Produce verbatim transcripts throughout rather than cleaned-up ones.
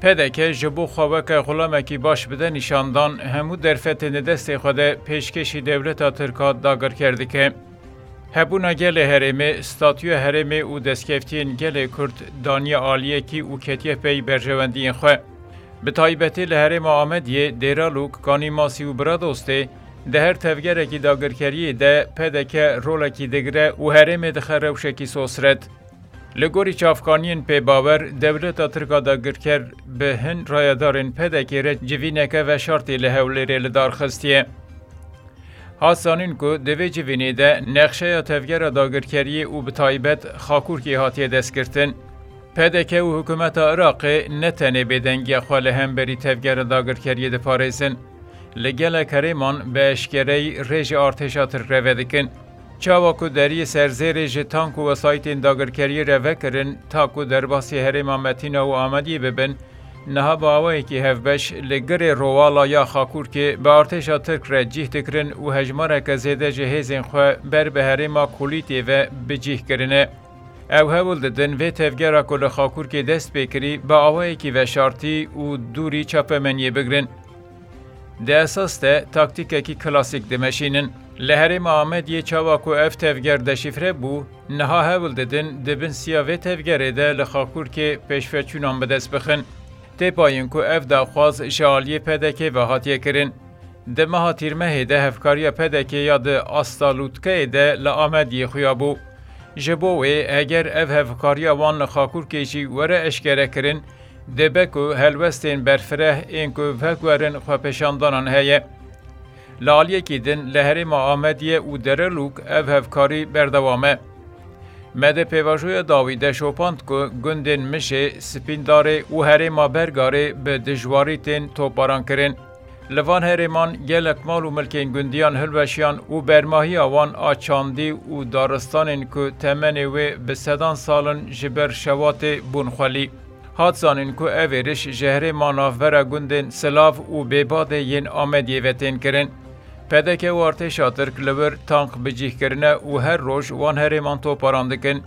P D K ji bo xwe weke xulamekî baş bide nîşandan, hemû derfetên di destê xwe de pêşkêşî dewleta Tirk a dagirker dike. Hebûna gelê herêmê, statûya herêmê û destkeftiyên gelê Kurd daniye aliyekî û ketiye pey berjewendiyên xwe. Bi taybetî li herêma Amediyê, Dêralûk, Kanî Masî û Biradostê, di her tevgerekî dagirkeriyê de P D K rolekî digire û herêmê dixe rewşekî sosret. Li gorî çavkaniyên pêbawer, dewleta Tirk a dagirker bi hin rayedarên P D K re civîneke veşartî li Hewlêrê li dar xistiye. Hat zanîn ku di vê civînê de nexşeya tevgera dagirkeriyê û bi taybet Xakurkê hatiye destgirtin. P D K û hikûmeta Iraqê ne tenê bêdengiya xwe li hemberî tevgera dagirkeriyê diparêzin. Li gelek herêman bi eşkereyî rê ji artêşa Tirk re vedikin. Çawa ku deriyê serzêrê ji tank û wesayîtên dagirkeriyê re vekirin, ta ku derbasî herêma Metîna û Amediyê bibin, niha bi awayekî hevbeş li girê Rowala ya Xakurkê bi artêşa Tirk re cîh dikirin û hejmareke zêde ji hêzên xwe ber bi herêma Kulîtê ve bi cîh kirine. Ew hewl didin vê tevgera ku li Xakurkê dest pê kirî bi awayekî veşartî û dûrî çapemeniyê bigrin. Di esas de taktîkekî klasîk dimeşînin. Li herêma Amediyê çawa ku ev tevger deşîfre bû, niha hewl didin di bin siya vê tevgerê de li Xakurkê pêşveçûnan bi dest bixin. Tê payîn ku ev daxwaz ji aliyê P D K ve hatiye kirin. Di meha Tîrmehê de hevkariya P D K ya di asta lûtkeyê de li Amediyê xuya bû. Ji bo wê, heger ev hevkariya wan li Xakurkê jî were eşkerekirin, dibe ku helwestên berfireh ên ku veguherin xwepêşandanan heye. Li aliyekî din li herêma Amediyê û Derelûk ev hevkarî berdewam e. Me di pêvajoya dawî de şopand ku gundên Mijê, Spîndarê û herêma Bergarê bi dijwarî tên toparan kirin. Li van herêman gelek mal û milkên gundiyan hilweşiyan û bermahiya wan a çandî û daristanên ku temenê wê bi sedan sal in ji ber şewatê bûn xwelî. Hat zanîn ku ev êriş ji herêma navbera gundên Silav û Bêbadê yên Amediyê ve tên kirin. P D K û artêşa Tirk li wir tank bi cih kirine û her roj wan herêman toparan dikin.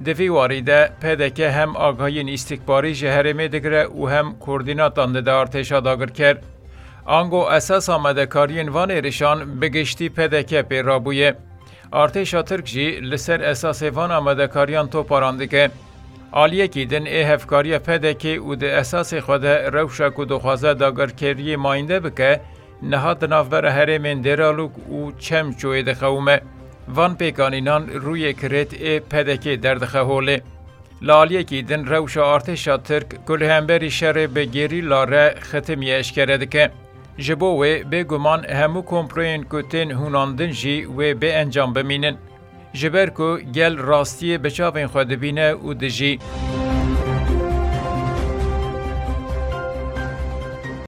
Di vî warî de P D K hem agahiyên îstîkbarî ji herêmê digire û hem koordînatan dide artêşa dagirker. Ango esas amadekariyên van êrişan bi giştî P D K pê rabûye. Artêşa Tirk jî li ser esasê van amadekariyan toparan dike. Aliyekî din ê hevkariya P D K û di esasê xwe de rewşa ku dixwaze dagirkeriyê mayînde bike, niha di navbera herêmên Dêralûk û Çemçoyê diqewime. Van pêkanînan rûyê kirêt ê P D K derdixe holê. Li aliyekî din rewşa artêşa Tirk ku li hemberî şerê bi gerîla re xitimiye eşkere dike. Ji bo wê bêguman hemû komployên ku tên hûnandin jî wê bê encam bimînin. Ji ber ku gel rastiyê bi çavên xwe dibîne û dijî.